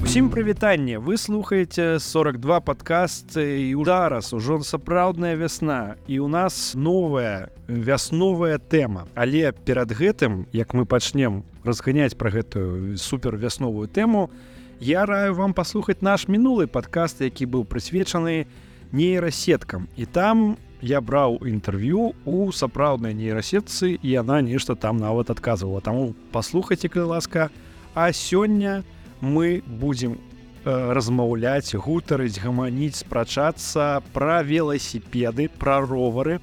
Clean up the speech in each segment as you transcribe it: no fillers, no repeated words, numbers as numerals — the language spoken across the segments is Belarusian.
Усім прывітанне, вы слухаеце 42 падкаст і зараз ужо сапраўдная вясна і у нас новая вясновая тэма. Але перад гэтым, як мы пачнем разганяць пра гэтую супер вясновую тэму, я раю вам паслухаць наш мінулы падкаст, які быў прысвечаны нейрасеткам. І там я браў інтэрв'ю у сапраўднай нейрасетцы і яна нешта там нават адказвала. Таму паслухайце, калі ласка. А сёння мы будзем размаўляць, гутарыць, гаманіць, спрачацца пра веласіпеды, пра ровары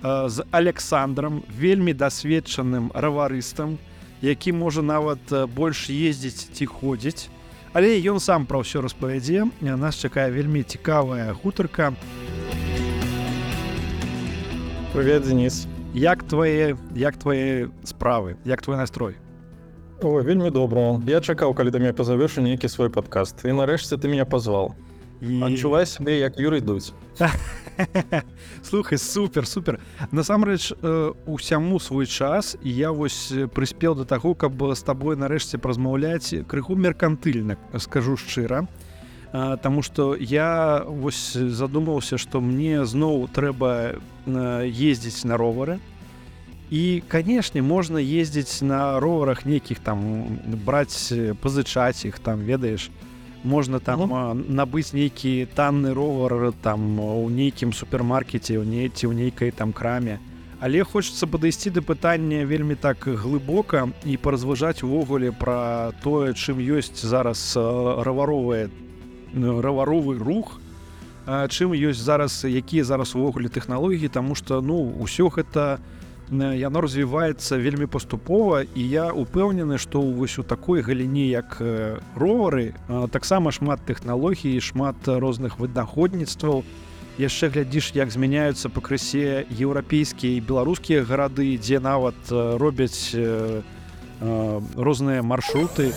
з Александром, вельмі дасведчаным раварыстам, які можа нават больш ездзіць ці ходзіць. Але ён сам пра ўсё распавядзе. Нас чакае вельмі цікавая гутарка. Привет, Денис. Як твае справы? Як твой настрой? Ой, вельмі добра. Я чакаў, калі ты мяне пазавеш у нейкі свой падкаст. І нарэшце ты мяне пазваў. Адчувай сябе, як Юрый Дудь. Слухай, супер. Насамрэч, усяму свой час, і я вось прыспеў да таго, каб з табой нарэшце празмаўляць крыху меркантыльна, скажу шчыра. Таму што я вось задумаўся, што мне зноў трэба ездзіць на ровары. І, канешне, можна ездзіць на роварах нейкіх там, браць, пазычаць іх там, ведаеш. Можна там набыць нейкі танны ровар там у нейкім супермаркеце, ці ў нейкай там краме. Але хочацца падысці да пытання вельмі так глыбока і паразважаць увогуле пра тое, чым ёсць зараз раваровы рух, чым ёсць зараз, якія зараз увогуле тэхналогіі, таму што, ўсё гэта яно развіваецца вельмі паступова, і я упэўнены, што вось у такой галіне, як ровары, таксама шмат тэхналогій, шмат розных вынаходніцтваў. Яшчэ глядзіш, як змяняюцца пакрысе еўрапейскія і беларускія гарады, дзе нават робяць розныя маршруты.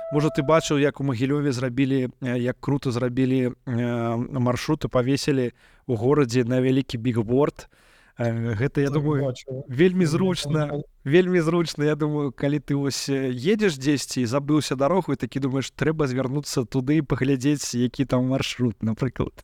Можа, ты бачыў, як у Магілёве зрабілі, як крута зрабілі маршруты, павесілі ў горадзе на вялікі бігборд. Гэта, я думаю, вельмі зручна, я думаю, калі ты вось едзеш дзесьці і забыўся дарогу, і такі думаеш, трэба звярнуцца туды і паглядзець, які там маршрут, напрыклад.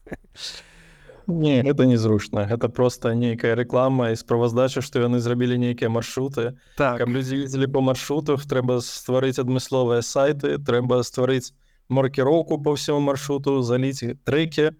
Не, гэта незручна. Гэта проста нейкая рэклама і справаздача, што яны зрабілі нейкія маршруты. Так. Каб людзі ездзілі па маршрутах, трэба стварыць адмысловыя сайты, трэба стварыць маркіроўку па ўсяму маршруту, заліць трэкі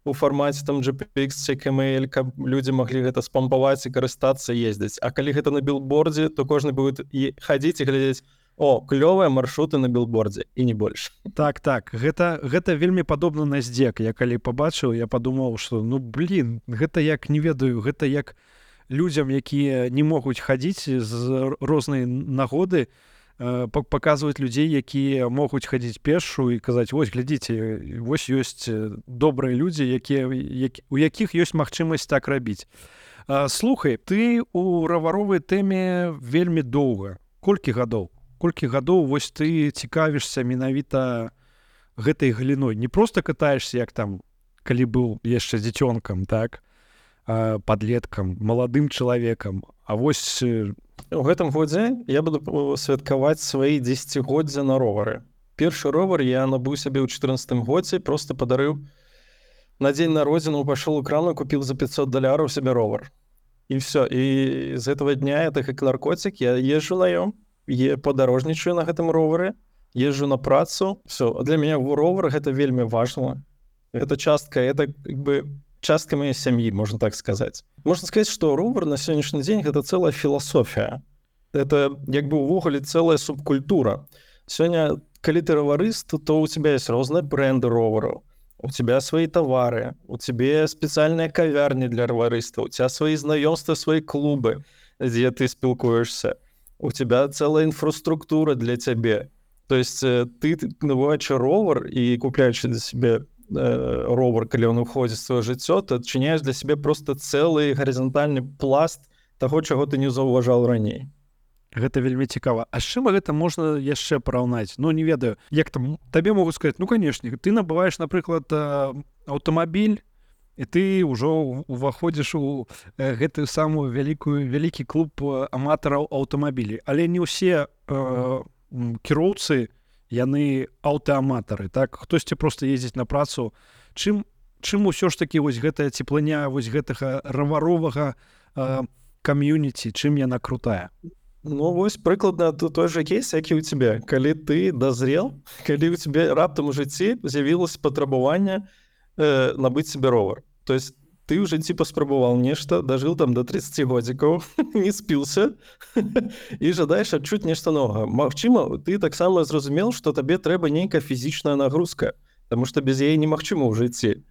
у фармаце там GPX ці KML, каб людзі маглі гэта спампаваць і карыстацца, ездзіць. А калі гэта на білбордзе, то кожны будет хадзіць і глядзець: о, клёвыя маршруты на білбордзе, і не больш. Так, гэта вельмі падобна на здзек. Я калі пабачыў, я падумаў, што гэта як, не ведаю, гэта як людзям, якія не могуць хадзіць з рознай нагоды, паказваць людзей, якія могуць хадзіць пешшу і казаць: вось, глядзіце, вось ёсць добрыя людзі, у якіх ёсць магчымасць так рабіць. Слухай, ты у раваровай тэме вельмі доўга. Колькі гадоў вось ты цікавішся менавіта гэтай галіной? Не проста катаешся, як там, калі быў яшчэ дзіцёнкам, так, падлеткам, маладым чалавекам, а вось... У гэтым годзе я буду святкаваць свае 10-годдзя на ровары. Першы ровар я набыў сябе ў 14-м годзе, просто падарыў на дзень народзінаў, пайшоў у краму, купіў за $500 сябе ровар. І все. І з гэтага дня, так як наркотик, я езжу на ём, падарожнічаю на гэтым ровары, езжу на працу. Все. А для мяне ровар гэта вельмі важна. Гэта частка, частка моей сям'і, можна так сказаць. Можна сказаць, што ровар на сённяшні дзень гэта цэлая філасофія. Это увогуле цэлая субкультура. Сёння, калі ты раварыст, то у тебя есть розныя бренды ровараў, у тебя свои товары, у тебя спецыяльныя кавярні для раварыстаў, у тебя свои знаёмствы, свои клубы, дзе ты спілкуешься, у тебя цэлая інфраструктура для цябе. То есть ты набываючы ровар і купляючы для себе ровар, калі ён уходзіць в сваё жыццё, ты адчыняеш для сябе просто цэлы гарызантальны пласт таго, чаго ты не заўважаў раней. Гэта вельмі цікава. А з чым гэта можна яшчэ параўнаць? Не ведаю. Як там табе могуць сказаць: канешне, ты набываеш, напрыклад, аўтамабіль, і ты ўжо уваходзіш у гэтую самую вялікі клуб аматараў аўтамабілей. Але не ўсе кіроўцы яны аўтааматары, так, хтосьці просто ездзіць на працу. Чым усё ж такі вось гэтая цеплыня вось гэтага раваровага кам'юніці, чым яна крутая? Ну, вось прыкладна той же кейс, які ў цябе. Калі ты дазрел, калі ў цябе раптам у жыцці з'явілася патрабаванне набыць себе ровар. То есть ты ў жыцці паспрабаваў нешта, дажыў там до 30 годзікаў, не спіўся і жадаеш адчуць нешта новага. Магчыма, ты таксама зразумеў, што табе трэба нейкая фізічная нагрузка, потому што без яе немагчыма ў жыцці.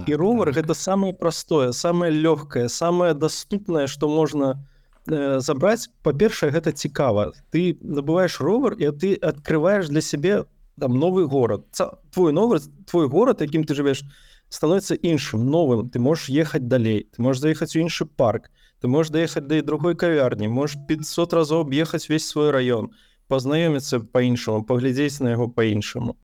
І ровар гэта самае простое, самае лёгкае, самае даступнае, што можна забраць. Па-першае, гэта цікава. Ты набываеш ровар, і ты адкрываеш для сябе там новы горад. Твой горад, якім ты жывеш, становіцца іншым, новым. Ты можаш ехаць далей, ты можаш заехаць у іншы парк, ты можаш даехаць да другой кавярні, можаш 500 разоў аб'ехаць весь свой раён, пазнаёміцца па-іншаму, паглядзець на яго па-іншаму.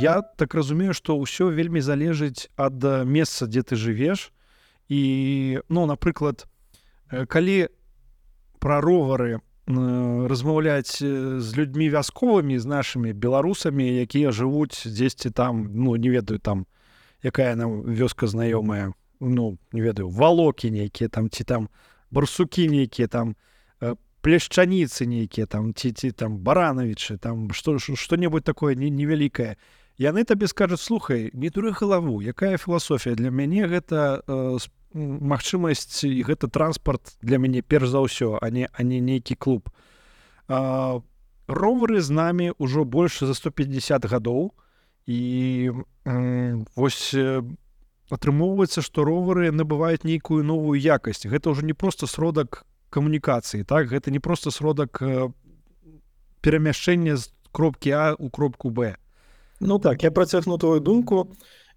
Я так разумею, што ўсё вельмі залежыць ад месца, дзе ты жывеш. І, напрыклад, калі пра ровары размаўляць з людзьмі вясковымі, з нашымі беларусамі, якія жывуць дзесьці там, не ведаю, там, якая нам вёска знаёмая, не ведаю, валокі нейкія там, ці там барсукі нейкія там, плешчаніцы нейкія там, ці там баранавічы, там што-небудзь такое невялікае. Яны табе скажуць: слухай, не дуры галаву, якая філасофія? Для мяне гэта магчымасць, і гэта транспарт для мяне перш за ўсё, а не нейкі клуб. Ровары з намі ўжо больш за 150 гадоў, і вось атрымоўваецца, што ровары набываюць нейкую новую якасць. Гэта ўжо не проста сродак камунікацыі, так? Гэта не проста сродак перамяшчэння з кропкі А ў кропку Б. Ну так, я працягну твою думку.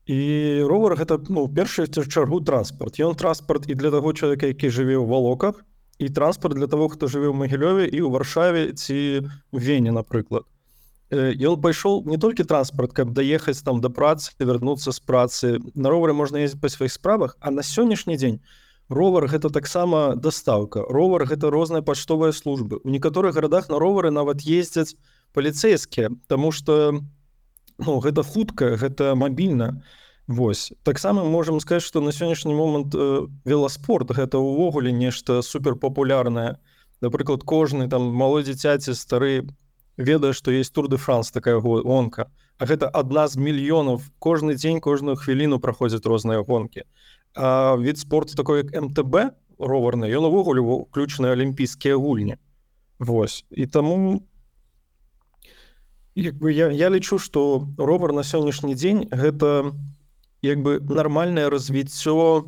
І ровар гэта, першую чаргу транспарт. Ён транспарт і для таго чалавека, які жыве ў Валоках, і транспарт для таго, хто жыве ў Магілёве і ў Варшаве ці ў Вене, напрыклад. Ён пайшоў не толькі транспарт, каб даехаць там да працы, вярнуцца з працы. На ровары можна ездзіць па сваіх справах, а на сённяшні дзень ровар гэта таксама дастаўка. Ровар гэта розныя паштовыя службы. У некаторых гарадах на ровары нават ездзяць паліцэйскія, таму што гэта хутка, гэта мабільна. Вось. Таксама можам сказаць, што на сённяшні момант веласпорт гэта ўвогуле нешта суперпапулярнае. Напрыклад, кожны там малой дзіцяці, стары ведае, што есть Тур де Франс, такая гонка. А гэта адна з мільёнаў. Кожны дзень, кожную хвіліну праходзяць розныя гонкі. А від спорту такой, як МТБ, роварны, ён увогуле ўключаны алімпійскія гульні. Вось. І таму я лічу, што ровар на сённяшні дзень гэта нармальнае развіццё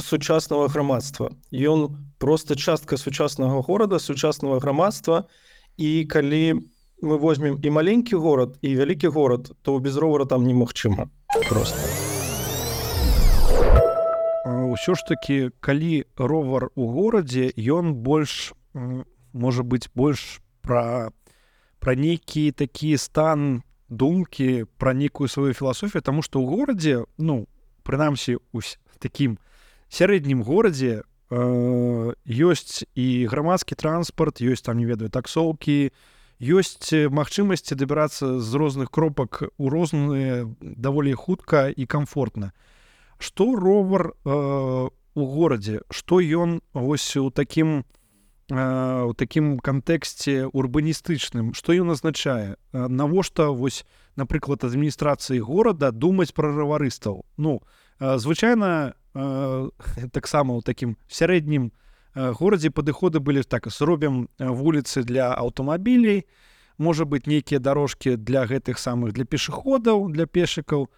сучаснага грамадства. Ён проста частка сучаснага горада, сучаснага грамадства, і калі мы возьмем і маленькі горад, і вялікі горад, то без ровара там немагчыма. Проста. Усё ж такі, калі ровар у горадзе, ён больш, можа быць, больш пра нейкі такі стан думкі, пра нейкую сваю філасофію, таму што ў горадзе, прынамсі у такім сярэднім горадзе ёсць і грамадскі транспарт, ёсць там, не ведаю, таксоўкі, ёсць магчымасці дабірацца з розных кропак у розныя даволі хутка і камфортна. Што ровар у горадзе? Што ён вось у такім кантэксце урбаністычным, што ён азначае? Навошта вось, напрыклад, адміністрацыі горада думаць пра раварыстаў? Звычайна таксама ў такім сярэднім горадзе падыходы былі так: зробім вуліцы для аўтамабілей, можа быць, нейкія дарожкі для гэтых самых, для пешаходаў, для пешыкаў,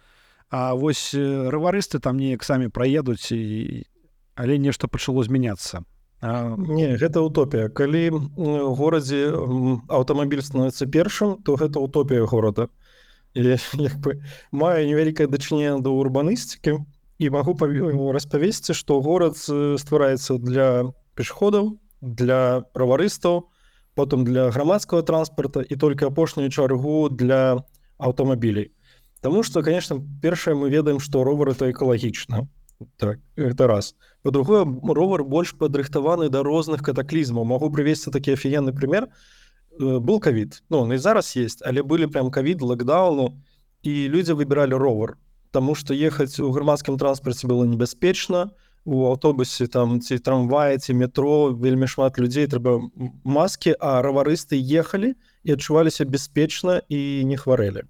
а вось раварысты там неяк самі праедуць, але нешта пачало змяняцца. Не, гэта утопія. Калі ў горадзе аўтамабіль становіцца першым, то гэта утопія горада. Маю невялікае дачыненне да урбаністыкі і магу распавесці, што горад ствараецца для пешаходаў, для раварыстаў, потым для грамадскага транспарта і толькі апошнюю чаргу для аўтамабілей. Таму што, конечно, першае мы ведаем, што ровар это экалагічна. Так, это раз. По-другое, ровер больш падрыхтаваны да розных катаклізмаў. Магу прывесці такі афігенны прымер. Был ковід, ну он і зараз есть, але былі прям ковід, локдауну, і людзі выбіралі ровер, таму што ехаць у грамадскім транспарце было небяспечна, у аўтобусе там ці трамвае, ці метро вельмі шмат людзей, трэба маскі, а раварысты ехалі і адчуваліся бяспечна і не хварэлі.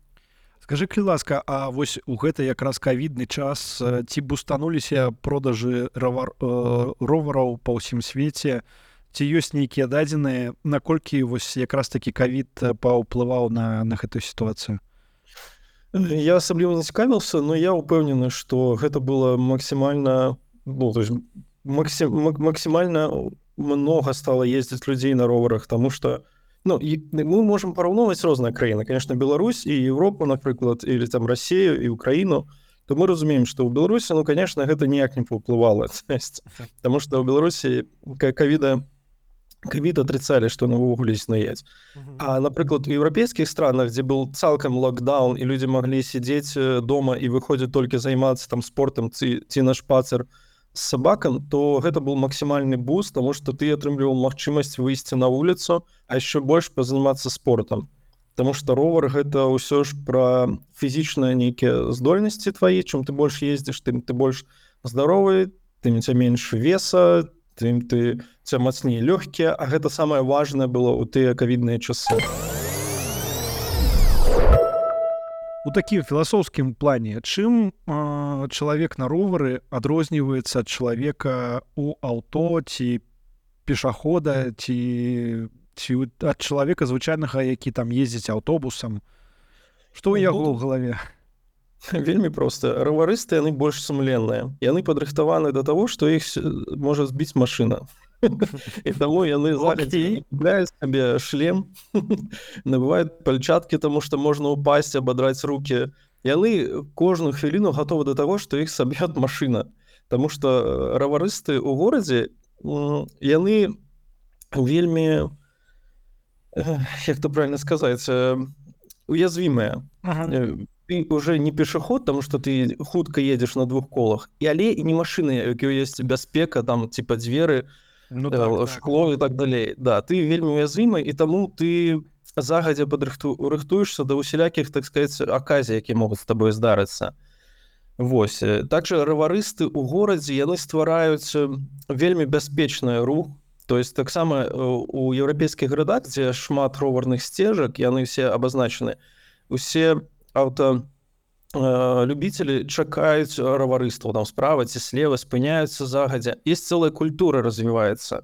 Скажы, калі ласка, а вось у гэты якраз ковідны час ці бустануліся продажы ровараў па ўсім свеце, ці ёсць нейкія дадзеныя, наколькі вось якраз такі ковід паўплываў на гэтую сітуацыю? Я асабліва не цікавіўся, но я ўпэўнены, што гэта было максімальна, ну, то есть максімальна многа стала ездзіць людзей на роварах, таму што ну, мы можам параўноўваць розныя краіны, конечно, Беларусь і Европу, напрыклад, или там Россию і Украіну, то мы разумеем, што ў Беларусі, ну, конечно, гэта ніяк не паўплывала, потому что ў Беларусі ковід отрицали, што навогуле існуюць. А, напрыклад, у еўрапейскіх странах, дзе был цалкам локдаун, і людзі маглі сидзець дома і выходзіць толькі займацца там спортам ці на шпацыр з сабакам, то гэта был максімальны буст, таму што ты атрымліваў магчымасць выйсці на вуліцу, а яшчэ больш пазаймацца спортам. Таму што ровар гэта ўсё ж пра фізічныя нейкія здольнасці твае, чым ты больш ездзіш, тым ты больш здаровы, тым ця менш веса, тым ты ця мацней лёгкія, а гэта самае важнае было ў тыя ковідныя часы. У такім філасофскім плане, чым чалавек на ровары адрозніваецца ад чалавека у аўто ці пешахода ці ад чалавека звычайнага, які там ездзіць аўтобусам? Што ў яго ў галаве? Вельмі проста. Раварысты, яны больш сумленныя. Яны падрыхтаваны да таго, што іх можа збіць машына. І таму яны купляюць сабе шлем, набываюць пальчаткі, таму што можна ўпасці, абадраць рукі. Яны кожную хвіліну гатовы да таго, што іх саб'ёт машына. Таму што раварысты ў горадзе, яны вельмі, як то правильно сказаць, уязвімыя. Ты уже не пешаход, потому что ты хутка едешь на двух колах, але і не машины, які есть бяспека, там типа дзверы, шкло і так далей. Да, ты вельмі уязвімы, і таму ты загадзя рыхтуешься да усялякіх, так сказать, аказій, які могуць з табой здарыцца. Вось. Также раварысты ў горадзе, яны ствараюць вельмі бяспечны рух. То есть таксама у еўрапейскіх гарадах, дзе шмат роварных сцежак, яны все абазначаны, усе любители чакаюць раварыстаў, там справа ці слева, спыняюцца загадзя. Есть целая культура развіваецца.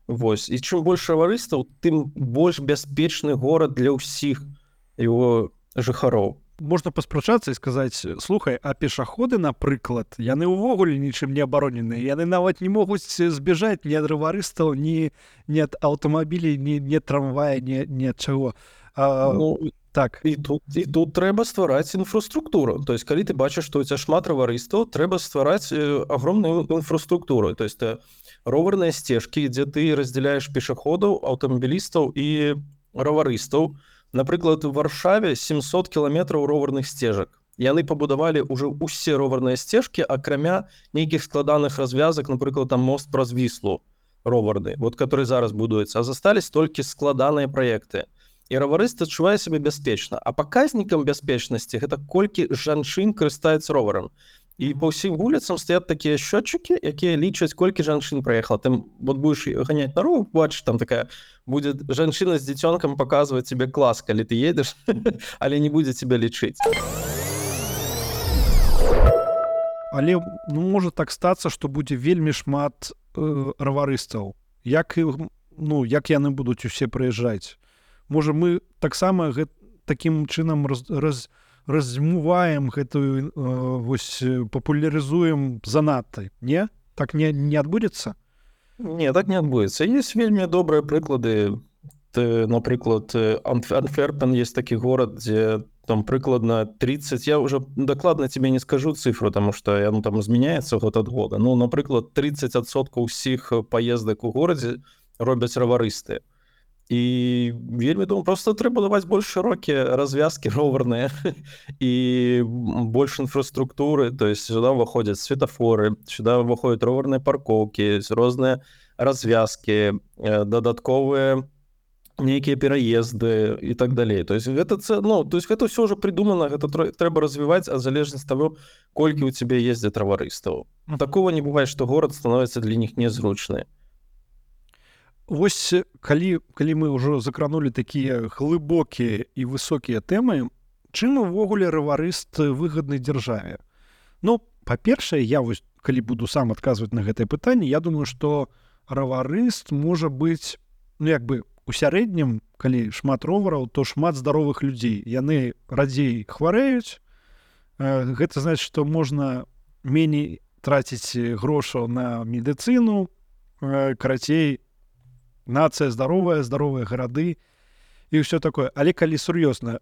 Вось. І чым больш раварыстаў, тым больш бяспечны горад для ўсіх его жыхароў. Можна паспрачацца і сказаць, слухай, а пешаходы, напрыклад, яны ўвогуле нічым не абароненыя. Яны нават не могуць збежаць ні ад раварыстаў, ні ад аўтамабілей, ні ад трамвая, ні ад чаго. Так. І тут трэба ствараць інфраструктуру. То есть, калі ты бачыш, што у цябе шмат раварыстаў, трэба ствараць агромную інфраструктуру. То есть, роварныя сцежкі, дзе ты раздзяляеш пешаходаў, аўтамабілістаў і раварыстаў. Напрыклад, у Варшаве 700 кіламетраў роварных сцежак. Яны пабудавалі ўжо ўсе роварныя сцежкі, акрамя нейкіх складаных развязак, напрыклад, там мост праз Віслу роварны, вот, который зараз будуецца. А застались толькі складаныя праекты. І раварыст адчувае сябе бяспечна. А паказнікам бяспечнасці гэта колькі жанчын карыстаюць роварам. І па ўсім вуліцам стаят такія счётчыкі, якія лічаць, колькі жанчын праехала. Ты вот будеш ганяць на ровар, бачыш, там такая будет жанчына з дзіцёнкам паказваць тебе клас, калі ты едзеш, але не будзе тебе лічыць. Але можа так стацца, што будзе вельмі шмат раварыстаў. Як яны будуць усе прыязджаць? Можа, мы таксама такім чынам размываем гэтую, папулярызуем занадта, не? Так не адбудзецца? Не, так не адбудзецца. Есть вельмі добрыя прыклады. Напрыклад, Антверпен есть такі горад, дзе там прыкладна 30, я уже дакладна тебе не скажу цифру, потому что яно там змяняецца год ад года. Ну, напрыклад, 30% ўсіх паездак у горадзе робяць раварысты. І вельмі думаю, просто трэба даваць больш шырокія развязкі роварныя і больш інфраструктуры, то есть сюда ўваходзяць светафоры, сюда ўваходзяць роварныя паркоўкі, розныя развязкі, дадатковыя нейкія пераезды і так далей. То есть гэта гэта ўсё ўжо придумана, гэта трэба развіваць, а залежнасць таго, колькі ў цябе ездзяць раварыстаў. Такого не бывае, што горад становіцца для них незручны. Вось калі мы ўжо закранулі такія глыбокія і высокія тэмы, чым увогуле раварыст выгадны дзяржаве? Ну, па-першае, я вось калі буду сам адказваць на гэтае пытанне, я думаю, што раварыст можа быць, ну як бы у сярэднім, калі шмат ровараў, то шмат здаровых людзей. Яны радзей хварэюць. Гэта значыць, што можна меней траціць грошаў на медыцыну, карацей, нацыя здаровая, здаровыя гарады і ўсё такое. Але калі сур'ёзна,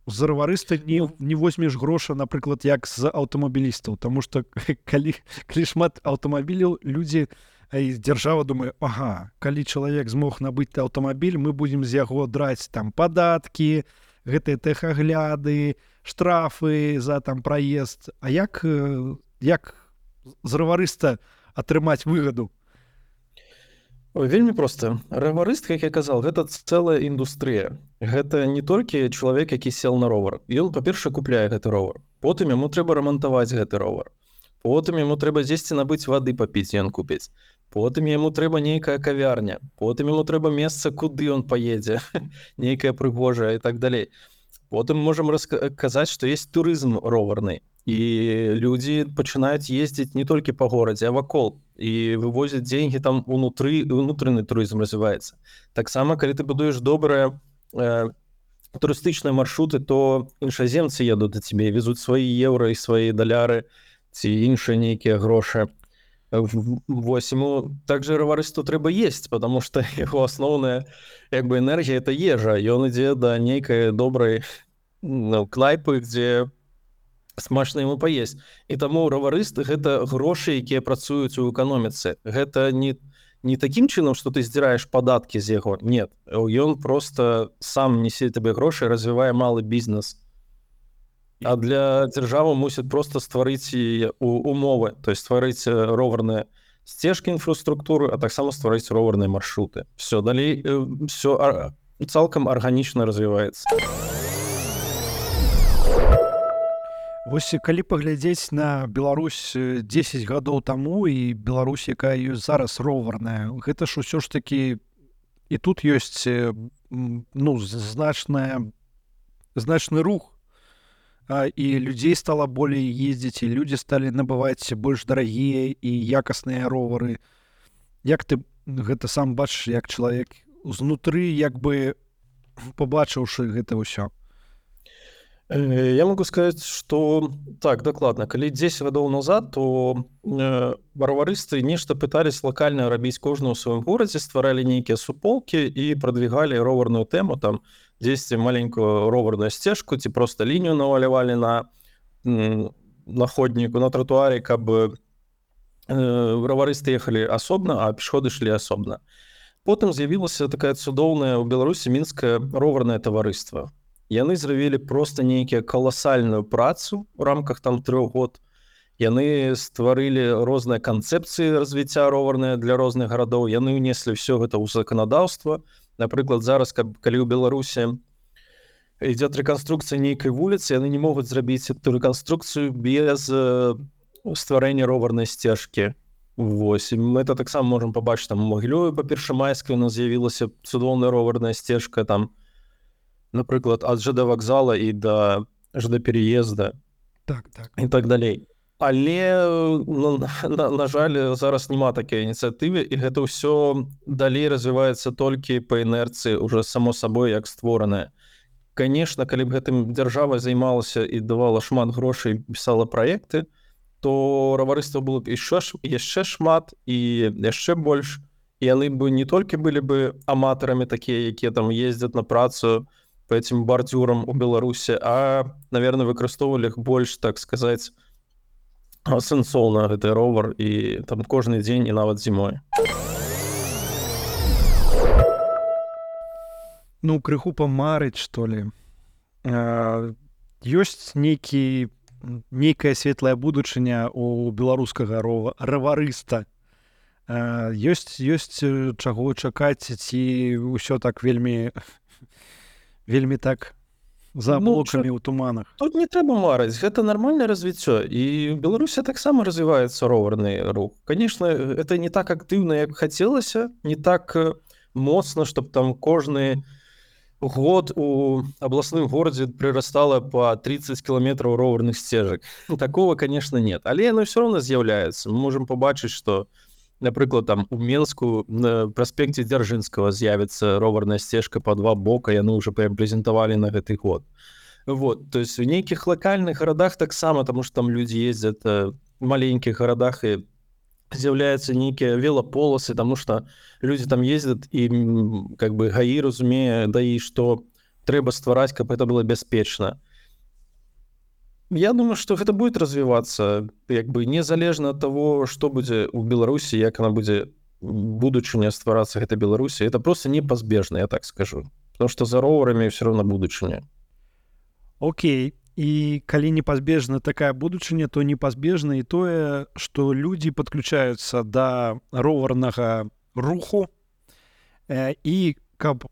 з раварыста не возьмеш гроша, напрыклад, як з аўтамабілістаў, таму што калі шмат аўтамабіляў, людзі, дзяржава думае, ага, калі чалавек змог набыць аўтамабіль, мы будзем з яго драць там падаткі, гэтыя тэхагляды, штрафы за там праезд. А як з раварыста атрымаць выгаду? Вельмі проста. Раварыст, як я казаў, гэта цэлая індустрыя. Гэта не толькі чалавек, які сел на ровар. Ён, па-першае, купляе гэты ровар. Потым яму трэба рамантаваць гэты ровар. Потым яму трэба дзесьці набыць вады папіць, ён купіць. Потым яму трэба нейкая кавярня. Потым яму трэба месца, куды ён паедзе, нейкая прыгожая і так далей. Потым можам казаць, што есть турызм роварны. І людзі пачынаюць ездзіць не толькі па горадзе, а вакол. І вывозяць деньги там унутраны турызм развіваецца. Таксама, калі ты будуеш добрыя турыстычныя маршруты, то іншаземцы едуць да цябе, везуць свае еўра і свае даляры ці іншыя нейкія грошы. Вось яму также раварысту трэба есць, потому што яго асноўная энергія это ежа. Ён ідзе да нейкай добрай кнайпы, дзе смачна яму паесць. І таму раварыст гэта грошы, якія працуюць у эканоміцы. Гэта не такім чынам, што ты здзіраеш падаткі з яго. Нет, ён просто сам несе табе грошы, развівае малы бізнес. А для дзяржавы мусіць просто стварыць умовы, то есть стварыць роварныя сцежкі інфраструктуры, а таксама стварыць роварныя маршруты. Все, далей все цалкам арганічна развіваецца. Вось калі паглядзець на Беларусь 10 гадоў таму і Беларусь, якая ёсць зараз роварная, гэта ж усё ж такі і тут ёсць значны рух, і людзей стала болей ездзіць, і людзі сталі набываць больш дарагія і якасныя ровары. Як ты гэта сам бачыш, як чалавек узнутры, як бы побачыўшы гэта ўсё? Я могу сказать, что так, дакладна. Калі 10 гадоў назад, то раварысты нешта пытались локальна рабіць кожны ў сваім горадзе, стваралі нейкія суполкі і прадвігалі роварную тэму, там дзесьці маленькую роварную сцежку ці просто лінію навалявалі на ходніку, на тротуаре, каб раварысты ехалі асобна, а пешходы шлі асобна. Потым з'явілася такая цудоўная ў Беларусі мінскае роварнае таварыства. Яны зрабілі просто нейкія каласальную працу ў рамках там 3 год. Яны стварылі розныя канцэпцыі развіцця роварныя для розных гарадоў. Яны ўнеслі ўсё гэта ў заканадаўства. Напрыклад, зараз, калі ў Беларусі ідзе рэканструкцыя нейкай вуліцы, яны не могуць зрабіць эту рэканструкцыю без стварэння роварнай сцежкі. Вось, і мы это таксама можам пабачыць там у Магілёве па Першамайскай у нас з'явілася цудоўная роварная сцежка там, напрыклад, ад ЖД вакзала і да ЖД переезда і так далей. Але, на жаль, зараз няма такой ініцыятывы, і гэта ўсё далей развіваецца толькі па інерцыі, уже само сабой як створанае. Конечно, калі б гэтым дзяржава займалася і давала шмат грошай, пісала праекты, то раварыства было б яшчэ шмат і яшчэ больш. І яны бы не толькі былі бы аматарамі такія, якія там ездзяць на працу по этим бордюрам у Беларусі, а, наверное, выкарыстоўвалі іх больш, так сказаць, сэнсоўна гэты ровар і там кожны дзень і нават зімой. ну крыху памарыць што ли. Ёсць нейкая светлая будучыня у беларускага раварыста. Ёсць чаго чакаць, ці ўсё так вельмі так за аблокамі ў туманах? Тут не трэба марыць, гэта нармальнае развіццё, і Беларусі таксама развіваецца роварны рух. Конечно, это не так актыўна, як хацелася, не так моцна, чтоб там кожны год у абласным горадзе прырастала по 30 кіламетраў роварных сцежак. Такого, конечно, нет. Але яно ўсё роўна з'яўляецца. Мы можам пабачыць, што, напрыклад, там у Менску на праспекце Дзяржынскага з'явіцца роварная сцежка па два бока, яны ўжо прям прэзентавалі на гэты год. Вот, то есть у нейкіх лакальных гарадах таксама, таму што там людзі ездзяць в маленькіх гарадах і з'яўляюцца нейкія велаполасы, таму што людзі там ездзяць і как бы ГАІ разумее, да і што трэба ствараць, каб это было бяспечна. Я думаю, что гэта будет развиваться, як бы незалежна ад того, што будзе ў Беларусі, як она будзе будучыня стварацца гэта Беларусі, это просто непазбежна, я так скажу. Потому что за роварамі все равно будучыня. Окей. І калі непазбежна такая будучыня, то непазбежна і тое, што людзі падключаюцца да роварнага руху, і каб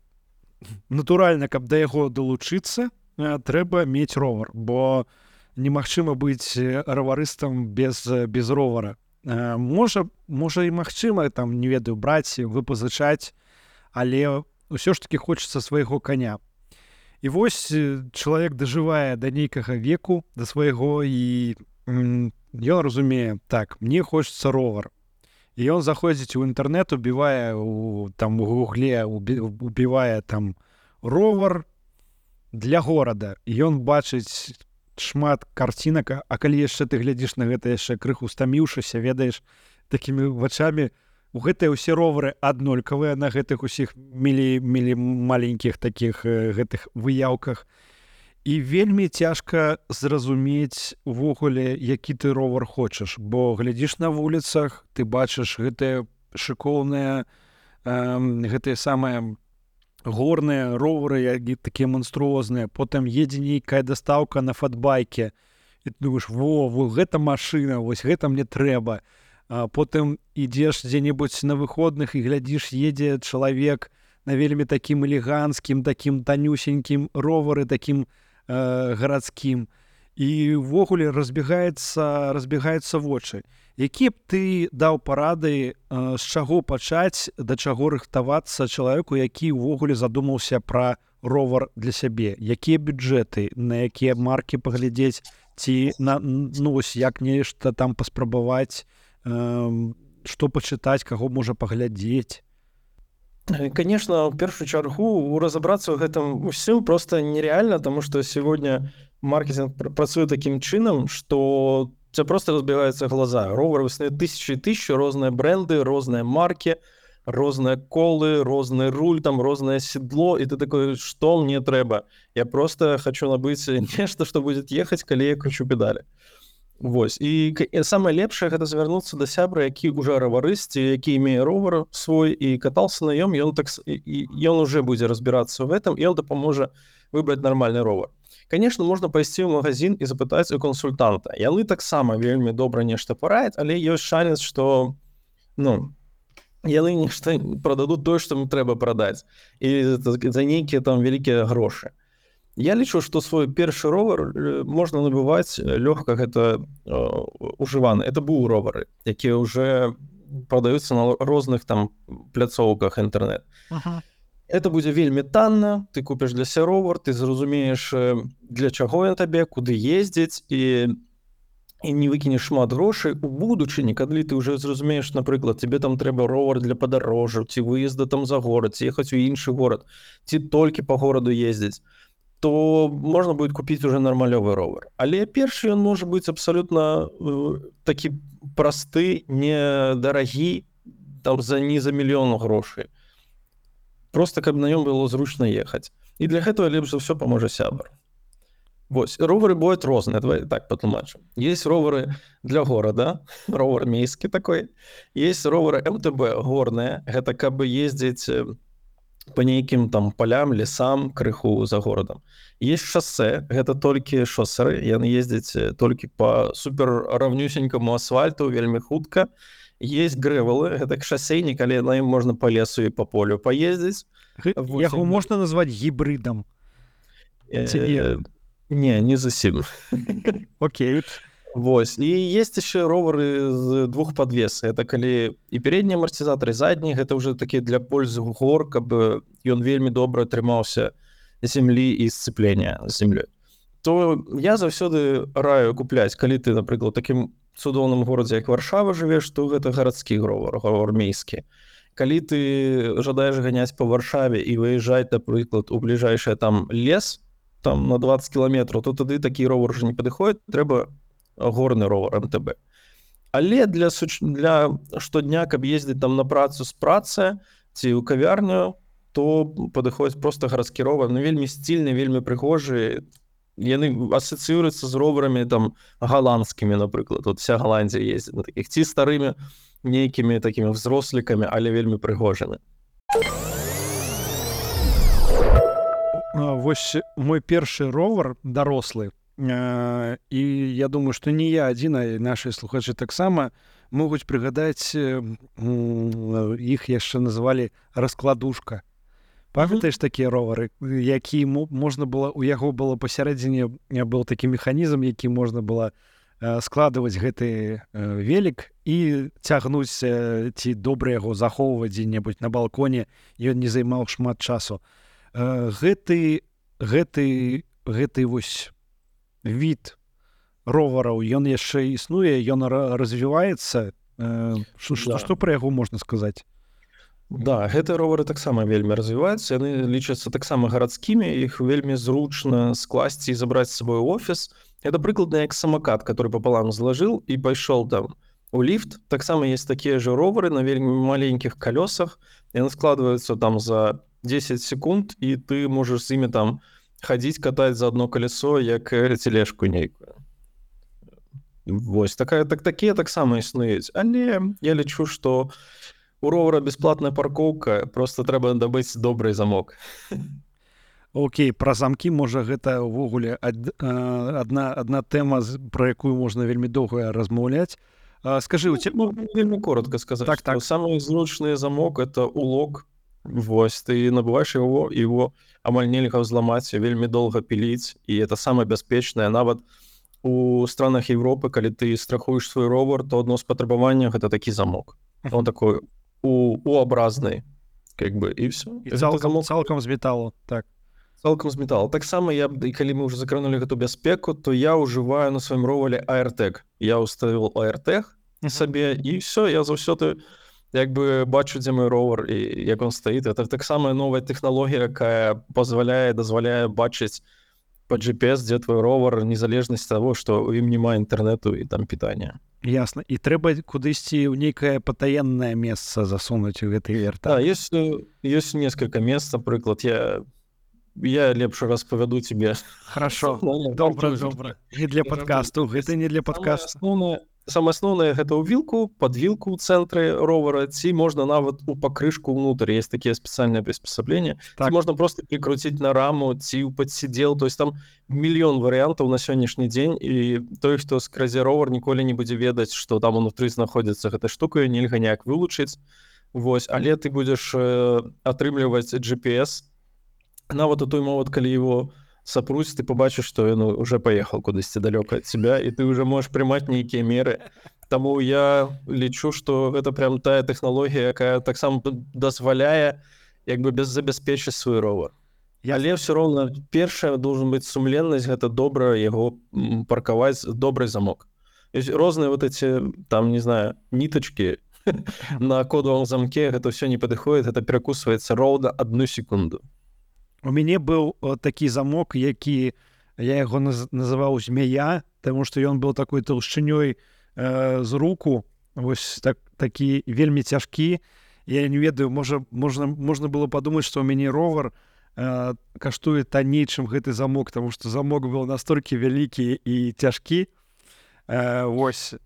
натуральна, каб да яго далучыцца, трэба мець ровар, бо немагчыма быць раварыстам без ровара. Можа і магчыма, там, не ведаю, браць, выпазычаць, але ўсё ж такі хочацца свайго каня. І вось чалавек дажывае да нейкага веку, да свайго, і ён разумее, так, мне хочацца ровар. І ён заходзіць у інтэрнэт, убівае у гугле, убівае там ровар для горада. І ён бачыць шмат карцінак, а калі яшчэ ты глядзіш на гэта яшчэ крыху стаміўшыся, ведаеш, такімі вачамі, у гэтыя ўсе ровары аднолькавыя на гэтых усіх маленькіх такіх гэтых выяўках. І вельмі цяжка зразумець увогуле, які ты ровар хочаш, бо глядзіш на вуліцах, ты бачыш гэтыя шыкоўныя, гэтыя самыя горныя ровары, які такія манструозныя, потым едзе нейкая дастаўка на фатбайке, і ты думаеш, во, гэта машына, вось гэта мне трэба. Потым ідзеш дзе-небудзь на выходных і глядзіш, едзе чалавек на вельмі такім элеганцкім, такім танюсенькім ровары, такім гарадскім. І ўвогуле разбегаецца вочы. Які б ты даў парады, з чаго пачаць, да чаго рыхтавацца чалавеку, які ўвогуле задумаўся пра ровар для сябе? Якія бюджэты, на якія маркі паглядзець, ці як нешта там паспрабаваць, што пачытаць, каго можа паглядзець? Конечно, в першую чаргу разобраться в этом всем просто нереально, потому что сегодня маркетинг працуе таким чином, что у тебя просто разбегаются глаза. Ровары існуюць тысячи и тысячи, розныя бренды, розныя марки, розныя колы, розны руль, там рознае седло, и ты такой, что мне трэба? Я просто хочу набыць нешта, что будет ехать, калі я кручу педалі. Вось. І самае лепшае гэта звярнуцца да сябра, які ўжо раварыст, які имее ровар свой і катался на ём, ён уже будзе разбирацца в этом, і ён дапаможа выбраць нормальны ровар. Конечно, можна пайсці ў магазин і запытаць у консультанта. Яны таксама вельмі добра нешта параяць, але ёсць шанец, што яны нешта прададуць тое, што ім трэба прадаць, і за нейкія там вялікія грошы. Я лічу, што свой першы ровар можна набываць лёгка, гэта ужываны. Это быў ровары, якія ўжо прадаюцца на розных там пляцоўках інтэрнэт. Это будзе вельмі танна, ты купіш для сябе ровар, ты зразумееш, для чаго ён табе, куды ездзіць, і не выкінеш шмат грошай. У будучыні, калі ты ўжо зразумееш, напрыклад, тебе там трэба ровар для падарожжаў, ці выезда там за горад, ці ехаць у іншы горад, ці толькі па гораду ездзіць, то можна будет купіць уже нармалёвы ровар. Але першы ён можа быць абсалютна такі просты, недарагі, там не за мільён грошай. Просто каб на нём было зручна ехаць. І для гэтага лепш за ўсё паможа сябар. Вось, ровары бываюць розныя, давай так патлумачым. Есть ровары для горада, ровар мейскі такой. Есть ровары МТБ горныя, гэта каб ездзіць по нейкім там полям, лесам, крыху за горадам. Есть шоссе, гэта толькі шосеры, яны ездзяць толькі по супер равнюсенькаму асфальту, вельмі хутка. Есть грэвелы, гэта шасейнік, але на ім можна по лесу і по полю паездзіць. Яго можна назваць гібридам? Не зусім. Окей. Вось. І есть яшчэ ровары з двух падвес. Это калі і передні амартызатары, і задні, гэта ўжо такі для пользы гор, каб ён вельмі добра трымаўся зямлі і сцеплення з зямлёй. То я заўсёды раю купляць, калі ты, напрыклад, такім цудоўным горадзе, як Варшава жывеш, то гэта гарадскі ровар армейскі. Калі ты жадаеш ганяць па Варшаве і выязджаць, напрыклад, у бліжэйшы там лес, там на 20 кіламетраў, то тады такі ровар уже не падыходзіць, трэба горны ровар МТБ. Але для штодня, каб ездзіць там на працу з працы ці ў кавярню, то падыходзіць проста гарадскі ровар, ну вельмі стильны, вельмі прыгожы. Яны асацыююцца з роварамі там галандскімі, напрыклад. Вот вся Галандзія ездзіць на такіх ці старымі нейкімі такімі взрослікамі, але вельмі прыгожымі. Вось мой першы ровар дарослы. І я думаю, што не я адзін, а нашы слухачы таксама могуць прыгадаць, іх яшчэ называлі раскладушка. Памятаеш такія ровары, які можна было, у яго было пасярэдзіне быў такі механізм, які можна было складваць гэты велік і цягнуць ці добра яго захоўваць дзе-небудзь на балконе, ён не займаў шмат часу. Гэты вось від ровараў, ён яшчэ існуе, ён развіваецца. Што пра яго можна сказаць? Да, гэтыя ровары таксама вельмі развіваюцца, яны лічацца таксама гарадскімі, іх вельмі зручна скласці і забраць з сабой у офіс. Это прыкладна як самакат, который пополам зложил и пошел там у лифт. Таксама есть такие же ровары на вельмі маленьких колесах, и они складываются там за 10 секунд, и ты можешь с ими там ходить, катать за одно колесо, як тележку нейкую. Вось, такія таксама існуюць. Але я лічу, што у ровара бесплатная паркоўка, просто трэба дабыць добрый замок. Окей, пра замкі, можа, гэта ўвогуле адна тэма, пра якую можна вельмі доўга размаўляць. Скажы, у тебя... Вельмі коротко сказать, так, что самый зручный замок — это улок. Вось, ты набываешь его амаль нельга взломать, вельмі долго пилить, и это самое бяспечнае. Нават у странах Европы, калі ты страхуешь свой ровар, то одно з патрабаванняў — это такі замок. Он такой У-образный, как бы, и все. И цалкам з металу, так. Цалкам з металу. Таксама я, калі мы уже закранули гэту бяспеку, то я ўжываю на сваім ровале AirTag. Я уставил AirTag сабе, і все, я заўсёды як бы бачу, дзе мой ровар і як он стаіць. Это таксама новая тэхналогія, якая дазваляе бачыць по GPS, дзе твой ровар, незалежнасць таго, што ў ім няма інтэрнэту і там пітання. Ясна. І трэба кудысьці ў нейкае патаеннае месца засунуць у гэты AirTag. Да, есть несколько мест, напрыклад, я лепш распавяду тебе. Хорошо, добра. Не для подкасту, гэта не для подкасту. Самае асноўнае — гэта ў вілку, пад вілку ў цэнтры ровара, ці можна нават у пакрышку ўнутр. Есть такія спецыяльныя приспосабления. Так. Ці можна просто прикрутіць на раму, ці ў падсідзел. То есть там мільён варыянтаў на сённяшні дзень, і той, хто скразе ровар, ніколі не будзе ведаць, што там унутры знаходзіцца гэта штука, нельга ніяк вылучыць. Вось, але ты будзеш атрымліваць GPS. Нават у той момент, калі его сопрусь, ты побачишь, что он уже поехал кудысьці далёка от тебя, и ты уже можешь прымаць нейкія меры. Таму я лічу, что это прям тая тэхналогія, якая таксама дазваляе як бы забяспечыць свой ровар. Але все роўна першае должен быць сумленнасць, гэта добра яго паркаваць, добрый замок. Розныя вот эти там, не знаю, ниточки на кодовом замке, гэта все не падыходит, это перакусваецца роўна 1 секунду. У мяне быў такі замок, які я яго называў змея, таму што ён быў такой толшчынёй з руку, вось такі вельмі цяжкі. Я не ведаю, можна было падумаць, што ў мяне ровар каштуе танней, чым гэты замок, таму што замок быў настолькі вялікі і цяжкі. Вось.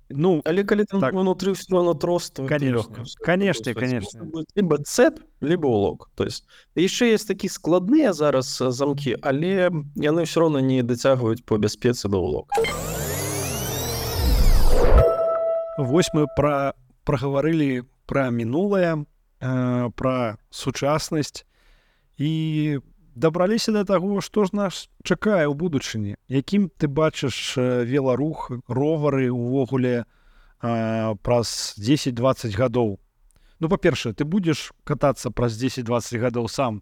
Ну, Але калі там так. внутри все равно трос, то это Конечно, легко. конечно, конечно. Будет либо цепь, либо улок. То есть яшчэ есть такія складныя зараз замкі, але яны все равно не дацягваюць по бяспецы да улок. Вось мы прагаварылі пра мінулае, пра сучаснасць і дабраліся да таго, што ж нас чакае ў будучыні. Якім ты бачыш веларух, ровары ўвогуле праз 10-20 гадоў? Ну, па-першае, ты будзеш катацца праз 10-20 гадоў сам?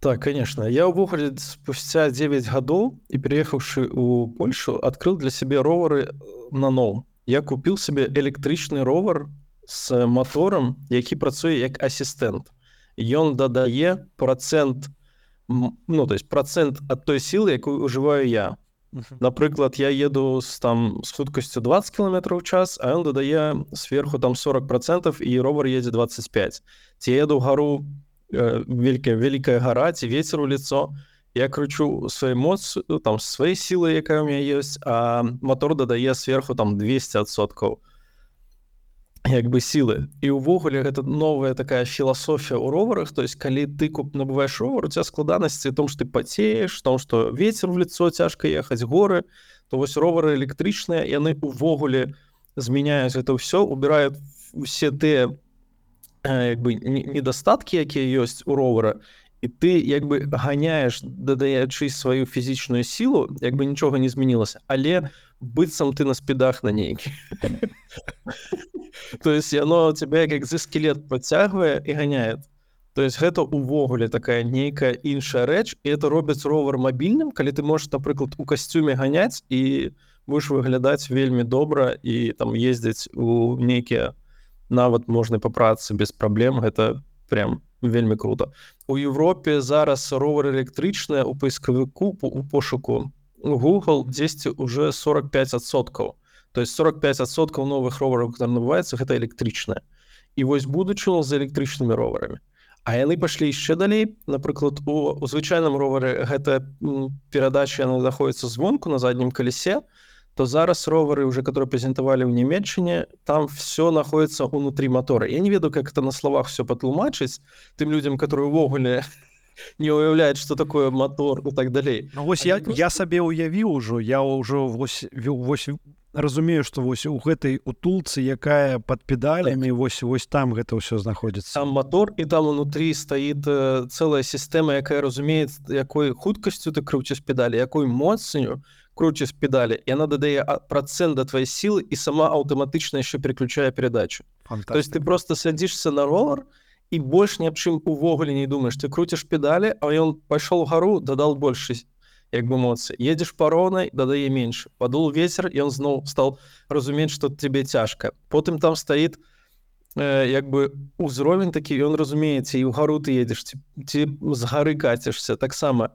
Так, конечно. Я увогуле спустя 9 гадоў і переехаўшы ў Польшу, адкрыў для сябе ровары наноў. Я купіў сабе электрычны ровар з моторам, які працуе як асістэнт. Ён дадае процент, ну, то есть процент ад той сілы, якую ўжываю я. Напрыклад, я еду з хуткасцю 20 км в час, а ён дадае сверху там 40%, і ровар едзе 25. Ці еду ў гару, вялікая гара, ці вецер у лицо, я кручу свае моц, там, свае сілы, якая ў мяне ёсць, а мотор дадае сверху там 200% як бы сілы. І ўвогуле гэта новая такая філасофія ў роварах, то есть калі ты набываеш ровар, у тебя складанасці ў том, што ты пацееш, том, што вецер в лицо, цяжка ехаць, горы, то вось ровары электрычныя, яны ўвогуле змяняюць гэта ўсё, убіраюць усе тыя як бы недастаткі, якія ёсць у ровара, і ты як бы ганяеш, дадаючы сваю фізічную сілу, як бы нічога не змянілася, але быццам ты на спідах на нейкі. То есть яно тебя як экзоскелет подцягвае і ганяет. То есть гэта увогуле такая нейкая іншая рэч, і это робіць ровар мабільным, калі ты можаш, напрыклад, у касцюме ганяць і будеш выглядаць вельмі добра і там ездзіць у нейкія, нават можна па працы без праблем, гэта прям вельмі круто. У Европе зараз ровары электрычныя у паискавіку, у пошуку Google дзесьці уже 45%. То есть 45% новых ровараў, которые набываюцца, гэта электрычныя. І вось будучыня з электрычнымі роварамі. А яны пашлі яшчэ далей. Напрыклад, у звычайным ровары гэта перадача, яна знаходзіцца звонку на заднім калесе, то зараз ровары, уже которые прэзентавалі ў Нямецчыне, там все находится внутри мотора. Я не ведаю, как это на словах все патлумачыць тым людям, которые увогуле не уяўляюць, что такое мотор и так далей. Ну, вось я сабе уявіў ужо, я ўжо вось разумею, што вось у гэтай утулцы, якая пад педалямі, вось там гэта ўсё знаходзіцца. Там мотор, і там унутры стаіць цэлая сістэма, якая разумее, якой хуткасцю ты круціш педалі, якой моцню кручишь педали, и она дадае процент до твоей силы и сама автоматично еще переключая передачу. Фантастика. То есть ты просто садишься на ровер и больше ни об чем увогуле не думаешь. Ты крутишь педали, а он пошел в гору, додал больше як бы эмоций. Едешь по ровной, додае меньше. Подул ветер, и он снова стал разуметь, что тебе тяжко. Потом там стоит як бы узровень такі, і он разумеецца, і ў гару ты едзеш, ці з гары кацішся, таксама.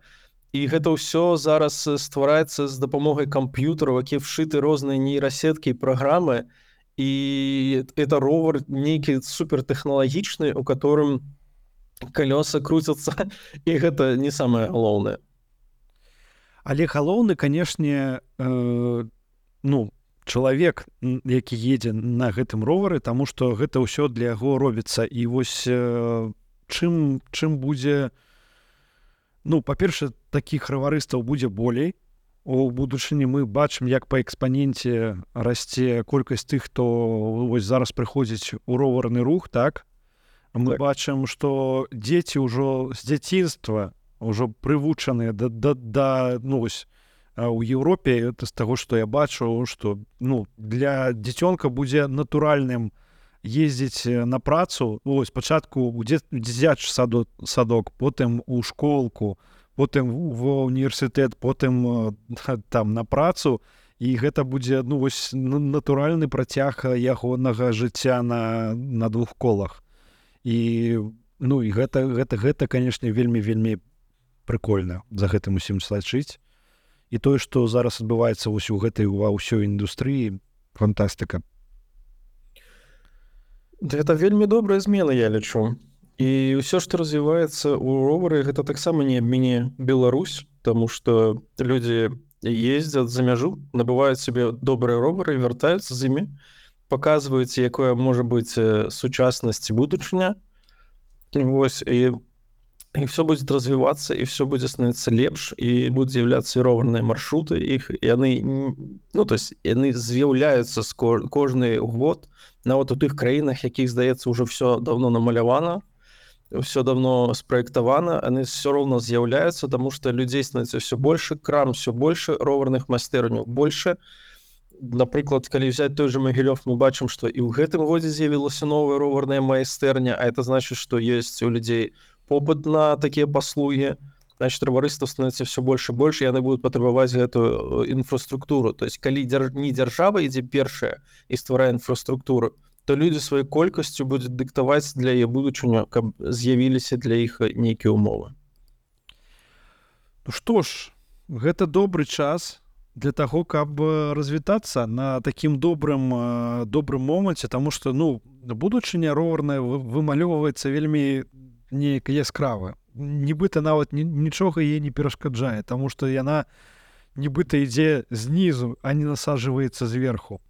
І гэта ўсё зараз ствараецца з дапамогай камп'ютараў, якія вшыты розныя нейрасеткі і праграмы, і это ровар нейкі супертэхналагічны, у которым калёса круцяцца, і гэта не самае галоўнае. Але галоўны, канешне, чалавек, які едзе на гэтым ровары, таму што гэта ўсё для яго робіцца. І вось чым будзе, па-першае, такіх раварыстаў будзе болей. У будучыні мы бачым, як па экспаненце расце колькасць тых, хто вось зараз прыходзіць у роварны рух, так? Мы бачым, што дзеці ўжо з дзяцінства ўжо прывучаныя у Еўропе, это з таго, што я бачу, што для дзіцёнка будзе натуральным ездзіць на працу, спачатку у дзіцячы садок, потым у школку, потым ва універсітэт, потым там на працу, і гэта будзе натуральны працяг ягонага жыцця на двух колах. І гэта, канешне, вельмі прыкольна за гэтым усім сачыць. І тое, што зараз адбываецца вось у гэтай ва ўсёй індустрыі, фантастыка. Гэта вельмі добрая змена, я лічу. І ўсё, што развіваецца ў ровары, гэта таксама не абміне Беларусь, таму што людзі ездзяць за мяжу, набываюць сабе добрыя ровары і вяртаюцца з імі, паказваюць, якое можа быць сучаснасць і будучыня. Вось, і все будет развиваться, и все будет становиться лепш, и будут з'являцца і роварныя маршруты іх, яны, ну, то есть яны з'яўляюцца кожны год, нават у тых краінах, якіх, здаецца, уже все давно намалявана, все давно спраектавана, яны все роўна з'яўляюцца, тому что людзей становіцца все больше, крам все больше, роварных майстэрняў больше. Напрыклад, калі взять той же Магілёв, мы бачым, што і ў гэтым годзе з'явілася новая роварная майстэрня, а это значит, что есть у людей попыт на такія паслугі, значит, таварыства становіцца все больше и больше, и яны будуць патрабаваць гэтую інфраструктуру. То есть калі не дзяржава ідзе першая і стварае інфраструктуру, то людзі сваёй колькасцю будуць дыктаваць для яе будучыню, каб з'явіліся для іх нейкія умовы. Ну што ж, гэта добры час для таго, каб развітацца на такім добрым моманце, таму што, ну, будучыня роварная вымалёўваецца вельмі неяк яскрава. Нібыта нават нічога яе не перашкаджае, таму што яна нібыта ідзе знізу, а не насаджваецца зверху.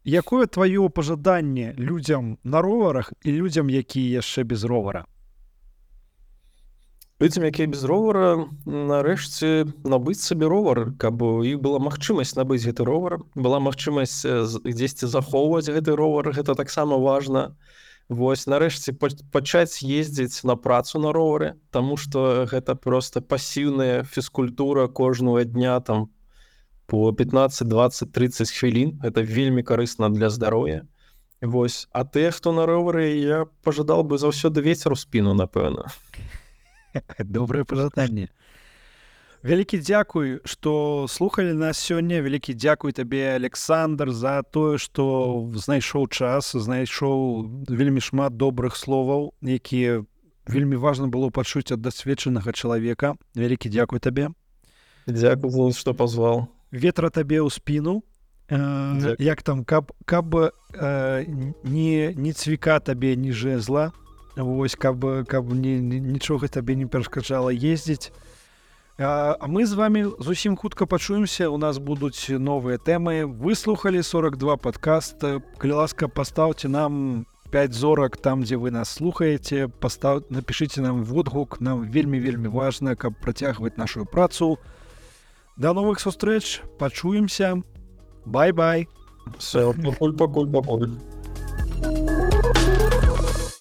Якое тваё пажаданне людзям на роварах і людзям, якія яшчэ без ровара? Людзям, якія без ровара, нарэшце набыць сабе ровар, каб у іх была магчымасць набыць гэты ровар, была магчымасць дзесьці захоўваць гэты ровар, гэта таксама важна. Вось, нарэшце пачаць ездзіць на працу на ровары, таму што гэта проста пасіўная фізкультура кожнага дня, там, по 15, 20, 30 хвілін. Гэта вельмі карысна для здароўя. Вось. А тыя, хто на ровары, я пажадал бы заўсёды вецер у спіну, напэўна. Добрае пажаданне. Вялікі дзякуй, што слухалі нас сёння. Вялікі дзякуй табе, Александр, за тое, што знайшоў час, знайшоў вельмі шмат добрых словаў, якія вельмі важна было пачуць ад дасведчанага чалавека. Вялікі дзякуй табе. Дзякуй, што пазваў. Ветра табе ў спіну. Як там, каб не цвіка табе, ні жэзла. Вось, каб нічога табе не перашкаджала ездзіць. А мы з вами зусім хутка пачуемся. У нас будуць новыя тэмы. Вы слухалі 42 падкаст. Калі ласка, пастаўце нам 5 зорак там, дзе вы нас слухаеце. Напішыце нам водгук. Нам вельмі важна, каб працягваць нашу працу. До новых сустрэч. Пачуемся. Бай-бай. Все, пакуль.